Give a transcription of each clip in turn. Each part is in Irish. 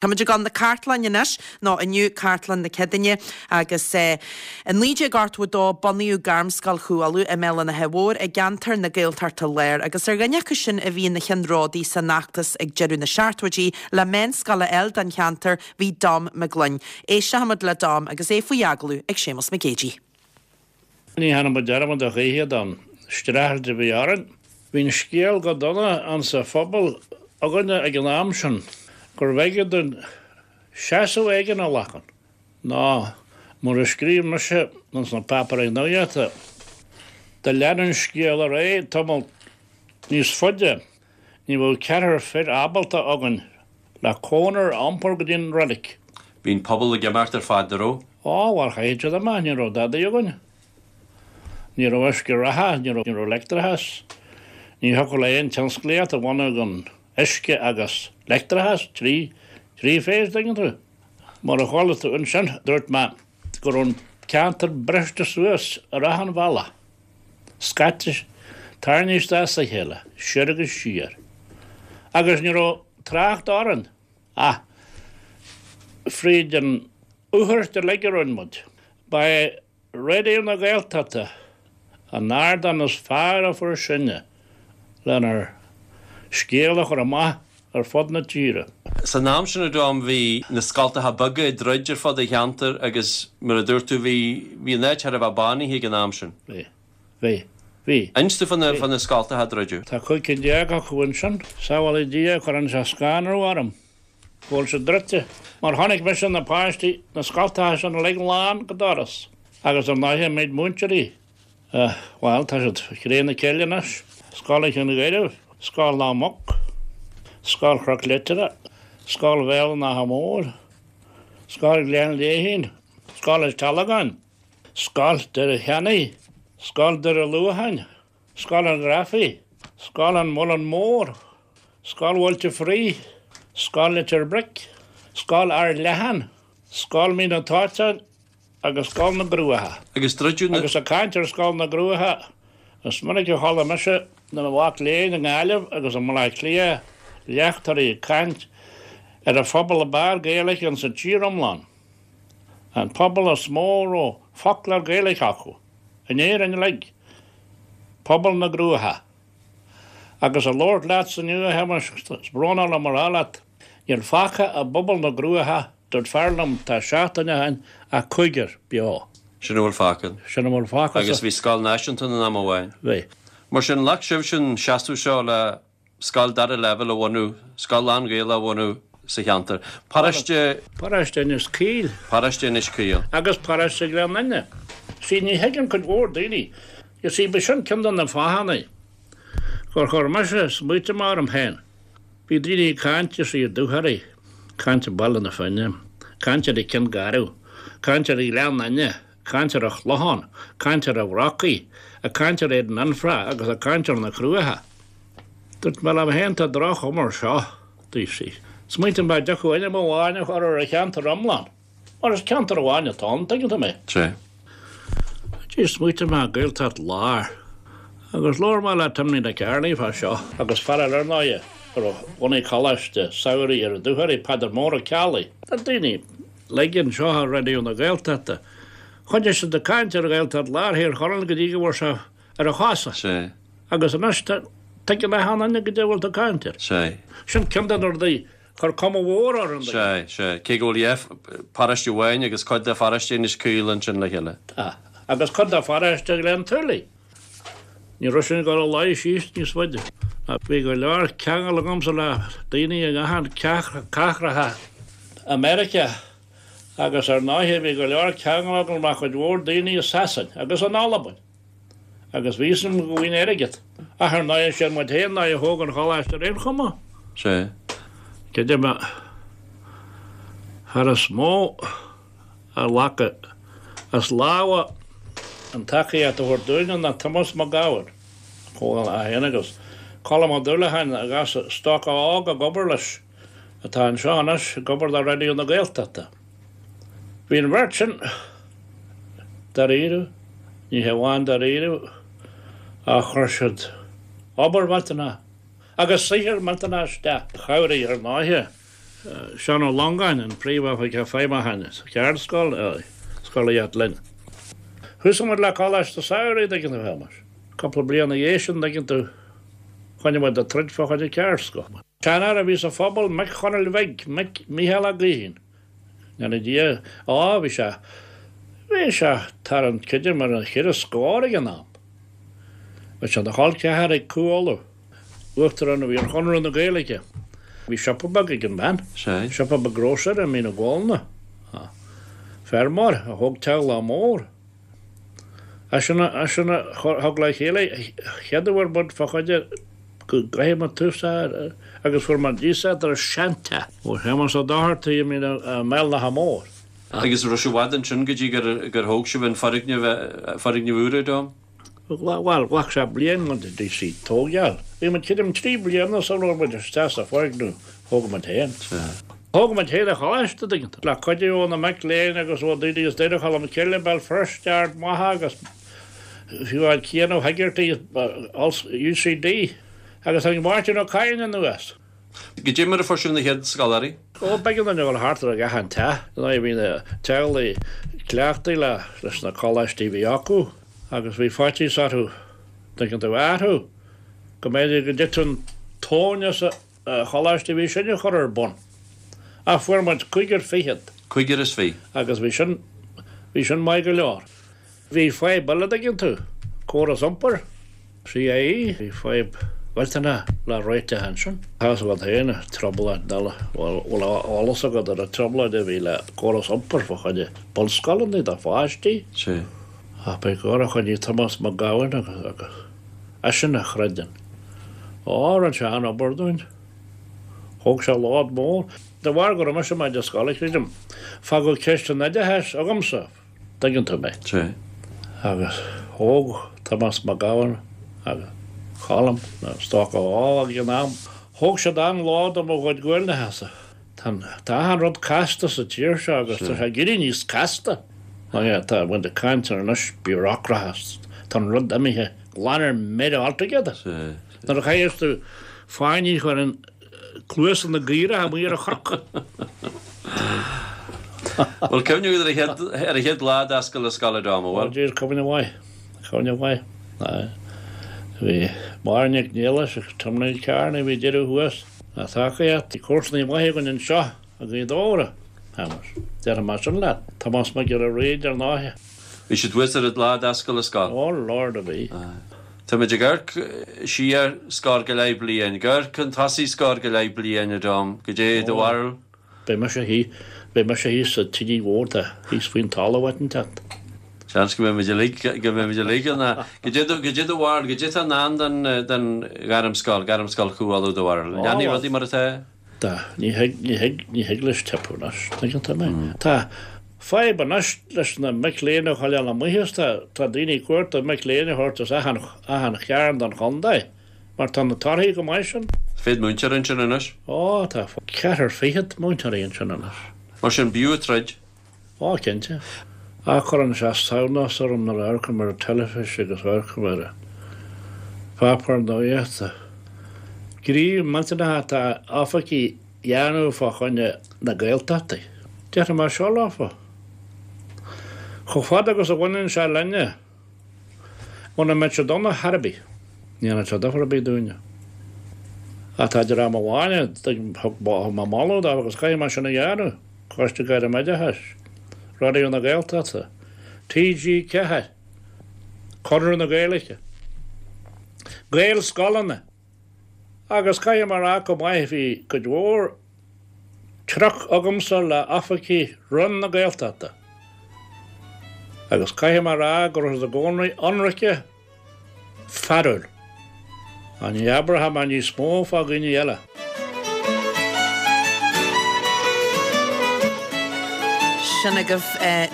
Táimid ag dul na cartlainne anois, nó inniu Cartlann na Céadaoine, agus i 1982 bunaíodh Gairmscoil Chú Uladh i mBéal an Átha Mhóir i gceantar na Gaeltachta Láir agus ar dhuine acu sin a bhí ina cheannródaí san fheachtas ag deireadh na seachtóidí le meánscoil a fháil don cheantar bhí Dom Mac Gloinn. Éistfimid le Dom agus é faoi agallamh ag Séamus Mac Géidigh. Ní dhéanfaidh muid dearmad a choíche den streachailt a bhí orainn. Bhí an scéal go dona insa phobal againne ag an am sin gurbh éigean dúinn seasamh éigin a ghlacadh, nó mar a scríobh mise ins na páipéirí nuachta, dá leanfadh an scéal ar aghaidh tamall níos faide, ní bheadh ceathrar fir ábalta againn le cónair a iompar go dtí an reilig. Bhí an pobal ag imeacht ar fad, an raibh? Á, bhuel, chaithfeadh siad imeacht, ní raibh dadaí againn. Ní raibh uisce reatha, ní raibh leictreachas. Ní thiocfadh le aon tionsclaíocht a bhunú gan uisce agus leictreachas, 3 phase, dtuigeann tú. Mar a chuala tú ansin, dúirt mé go raibh an ceantar briste suas ar achan bhealach. scaite, tarraingthe isteach sa chéile, soir agus siar. Agus ní raibh trácht orainn ach fríd an fhuthairt uilig a rinne muid. Ba é Raidió na Gaeltachta an ardán is fearr a fuair sinne lenár scéal a chur amach ar fud na tíre. San am sin, a Dom, bhí na scoltacha beaga ag druid ar fud an cheantair agus, mar a dúirt tú, bhí, bhí an áit thar a bheith bánaithe ag an am sin. Bhí. Bhí. Bhí. Inis dúinn fá na, fá na scoltacha a druideadh. Tá 15 cinn acu ansin. Sábhálaí Dia, cuireann sé scanradh orm go bhfuil siad druidte. Mar chonaic mise na páistí, na scoltacha sin uilig lán go doras agus ar ndóighe an méid múinteoirí Bhuel, tá siad cré na cille anois. Scoil an Chinn Ghairbh, Scoil na Muc, Scoil Chnoc Leitire, Scoil Bhéal an Átha Móir, Scoil Ghleann Léithín, Scoil an Tealagáin, Scoil Doire Cheannaigh, Scoil Doire Luacháin, Scoil an Ghrafaidh, Scoil an Mhuileann Mór, Scoil Bhailte Fraoigh, Scoil Leitir Bric, Scoil Ard Leathan, Scoil Mín an tSáiteáin, agus Scoil na gCruacha. Agus druideadh na. Agus ag caint ar Scoil na gCruacha, is minic a chuala mise na mhac léinn i nGaillimh agus i mBaile Átha Cliath léachtóirí ag caint ar an phobal ab fhearr Gaeilge insa tír iomlán, an pobal is mó a raibh foclóir Gaeilge acu, in Éirinn uilig, pobal na gCruacha. Agus ag labhairt leatsa inniu, a Shéamais, is brónach liom a rá leat, níl fágtha i bpobal na gCruacha, Dúirt fear liom tá seachtain ó shin ach cúigear beo. Sin a bhfuil fágtha. Sin a bhfuil fágtha. Agus bhí scoil náisiúnta ann am amháin. Bhí. Mar sin, ghlac sibhse an seasamh seo le scoil dara leibhéal a bhunú, scoil lán-Ghaelach a bhunú sa cheantar. Paróiste. Paróiste Inis Caoil. Paróiste Inis Caoil. Agus Paróiste Ghleann Fhinne. See, ní thuigeann cuid mhór daoine. You see, b'shin ceann de na fáthanna gur chuir mise smaointe orm féin. Bhí daoine ag caint, you see, ar Dúchoraidh, caint ar Bhaile na Finne, caint ar an Cionn Garbh, caint ar Ghleann Fhinne, caint ar an Chlochán, caint ar an Bhrocaigh, ag caint ar Éadan Fhionnfhraoch agus ag caint ar na Cruacha. Dúirt mé liom féin, tá droch-chuma air seo, you see. Smaointigh mé an dtiocfadh ainm amháin a chur ar an cheantar iomlán. Mar is ceantar amháin atá ann, tuigeann tú mé. Sea. Sea, smaointigh mé Gaeltacht Láir. Agus labhair mé le Timmy Nic Airlí fá seo. Agus fear eile ar ndóighe, a raibh bhunaigh coláiste samhraidh ar an Dúchoraidh, Peadar Mór Ó Ceallaigh. Tá daoine uilig anseo ar Raidió na Gaeltachta. Choinnigh siad ag caint ar Ghaeltacht Láir Thír Chonaill go dtí go bhfuair sé ar a chosa. Sea. Agus anois tuigeann achan duine goidé a bhfuil tú ag caint air. Sea. Sin ceann de na rudaí Chuir cuma mhór ar an Sea, sea. Cé go bhfuil yeah, paróiste amháin agus cuid de pharóiste Inis Caoil ansin le chéile. Tá. Agus cuid de pharóiste Ghleann tSúilí. Ní raibh sin ag dul a luí síos níos faide. Bhí go leor ceangal agamsa le daoine i ngach cathracha i Meiriceá agus ar ndóighe bhí go leor ceangal agam le cuid mhór daoine i Sasain agus in Albain. Agus bhí fhios agam go bhfaighinn airgead. Ach ar ndóighe, siad muid féin ná a thóg an choláiste ar aon chuma. Sea. Creidim an fear is mó a ghlac as lámha an tacaíocht a thabhairt dúinne ná Tomás Mac Gabhann, chomh é féin agus Colm Ó Dúlacháin a ghabh stoca óg ag obair leis, atá anseo anois ag obair le Raidió na Gaeltachta. Bhí an bheirt sin dáiríre, ní hamháin dáiríre, ach chuir siad obair mhillteanach agus saothar millteanach isteach. Chabhraigh, ar ndóighe. Seán Ó Longáin, an Príomhoifigeach Feidhmiúcháin sa Cheardscoil, scolaíocht linn. Thosaigh muid le Coláiste Samhraidh, dtuigeann tú, a Shéamais. Cúpla bliain ina dhiaidh sin, dtuigeann tú, choinnigh muid ag troid fá choinne ceardscoil. Seanfhear a bhí sa phobal, Mic Chonaill Bhig, Mic Mícheál Ó Gaoithín. Ndéana Dia, á, bhí sé, bhí sé thar an, creidim ar an cheithre scór ag an am. Bhí sé ina chol ceathar ag Cú Uladh. Uachtarán a bhí ar Chonradh na Gaeilge. Bhí siopa beag ag an bhean, siopa beag grósaera i Mín na Gualanna. Feirmeoir a thóg teaghlach mór. Eisean a thug le chéile chéad uair muid fá choinne go gcaithfidh muid tús a chur agus fuair muid iasacht ar seanteach ó Shéamus Ó Dochartaigh i mBéal an Átha Móir. Agus raibh sé i bhfad ansin go dtí gur thóg sibh an foirgneamh, foirgneamh úr, a Dom? Bhuel, ghlac sé bliain muid a dtí tógáil. Bhí muid creidim 3 bliana sula raibh muid isteach sa foirgneamh thóg muid féin. Thóg muid féin an choláiste, tuigeann tú, le cuidiú ó na mic léinn agus ó daoine as Doire Cholm Cille, Béal Feirste, Ard Mhacha agus fiú amháin Cian Ó hEigeartaigh, UCD, agus tháinig Máirtín Ó Cadhain anuas. Goidé mar a fuair sibh na chéad scoláirí? Ó, b'éigean dúinn a dhul thart ar achan teach. Ar ndóigh, bhí na teaghlaigh cleachtaithe leis na coláistí a bhí acu agus bhí faitíos orthu, tuigeann tú, athrú, go mb'fhéidir go dtitfeadh an tóin as an choláiste a bhí sinne a chur ar bun. Ach fuair muid cúigear fichead. Cúigear is fiche. Agus bhí sin, bhí sin maith go leor. Bhí fadhb eile, dtuigeann tú, córas iompair, CIE, bhí fadhb mhillteanach le réiteach ansin. Tá's agat féin, trioblóid eile, bhfuil eolas agat ar an trioblóid a bhí le córas iompair fá choinne bunscoileanna do pháistí? Sea. Ach ba gur a choinnigh Tomás Mac Gabhann agus agus eisean a chreid ann. Ó, rinne sé an-obair dúinn. Thóg sé lód mór. De bharr go raibh mise i m'oide scoile, creidim, fágadh ceist an oideachais agamsa. dtuigeann tú mé. Sea. Agus thóg Tomás Mac Gabhann agus Colm, nó is dócha ó ag an am, thóg siad an-lód ó mo chuid guailneachasa. Tá tá achan rud casta sa tír seo agus tá sé ag éirí níos casta. Tá muid ag caint ar anois bureaucracy, tá an rud imithe glan ar mire altogether. Sea. Nuair a chaithfeas tú fáinní a chur in cluasa na gcaorach amuigh ar an chnoc. Bhfuil cuimhne agat ar an chéad, ar an chéad lá d'oscail na scoile, Dom, an bhfuil? Ó jeez, cuimhne mhaith, cuimhne mhaith. Aye. Bhí Máire Nic Niallais agus Timmy Kearney a bhí ag deireadh thuas. A thacaíocht, bhí comharsanaí maithe againn anseo i nGaoth Dobhair, a Shéamais. Déarfaidh mé sin leat. Tomás Mac Giolla Bhríde ar ndóighe. Bhí siad thuas ar an lá d'oscail an scoil. Oh Lord a bhí. Tá muid ag amharc siar scór go leith bliain, ag amharc chun tosaigh scór go leith bliain, a Dom, goidé do bharúil? Beidh mise thíos, beidh mise thíos sa tigín mhór atá thíos faoin talamh áit inteacht. Seans go mbeidh muid uilig, go mbeidh muid uilig ann. Goidé do, goidé do bharúil, goidé atá i ndán don, don Ghairmscoil, Gairmscoil Chú Uladh do bharúil? Leanfaidh rudaí mar atá? Tá, ní thig, ní thig, ní thig leis teipeadh anois, tuigeann tú mé. Tá fadhb anois leis na mic léinn a choinneáil amuigh is tá, tá daoine ag cuartú mic léinn a thabhairt as achan, achan chearn den chontae mar tá na torthaí chomh maith sin. Fichead múinteoir ansin anois? Ó, tá ceathrar fichead múinteoirí ansin anois. Mar sin, b'fhiú troid. Ó, cinnte. Ach cuireann sé samhnas orm nuair a amharcaim ar an teilifís agus amharcaim ar an pháipéar nuachta. Gníomh millteanach atá oifigigh a dhéanamh fá choinne na Gaeltachta. Déarfaidh mé seo leofa. Chomh fada agus a bhaineann sé linne, muna mbeidh siad ann ar chor ar bith, ní dhéanfaidh sé difear ar bith dúinne. Ach tá dream amháin a thug mé moladh dóibh agus caithfidh mé sin a dhéanamh. Coiste Gairmoideachais, Raidió na Gaeltachta, TG4, Conradh na Gaeilge, Gaelscoileanna agus caithfidh mé a rá chomh maith bhí cuid mhór truc agamsa le oifigigh Roinn na Gaeltachta agus caithfidh mé a rá go raibh siad i gcónaí ionraice fearúil. Ach ní abróidh mé níos mó fá dhaoine eile. Sin agaibh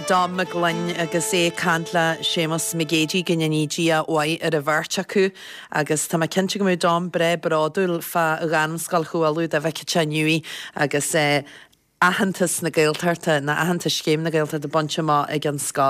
Dom Mac Gloinn agus é ag caint le Séamus Mac Géidigh, go ndéanaí Dia a mhaith ar an bheirt acu. Agus tá mé cinnte go mbeadh Dom breá bródúil fá Ghairmscoil Chú Uladh dá bhfeicfeadh sé inniu í agus aitheantas na Gaeltachta, nó aitheantas Scéim na Gaeltachta bainte amach ag an scoil.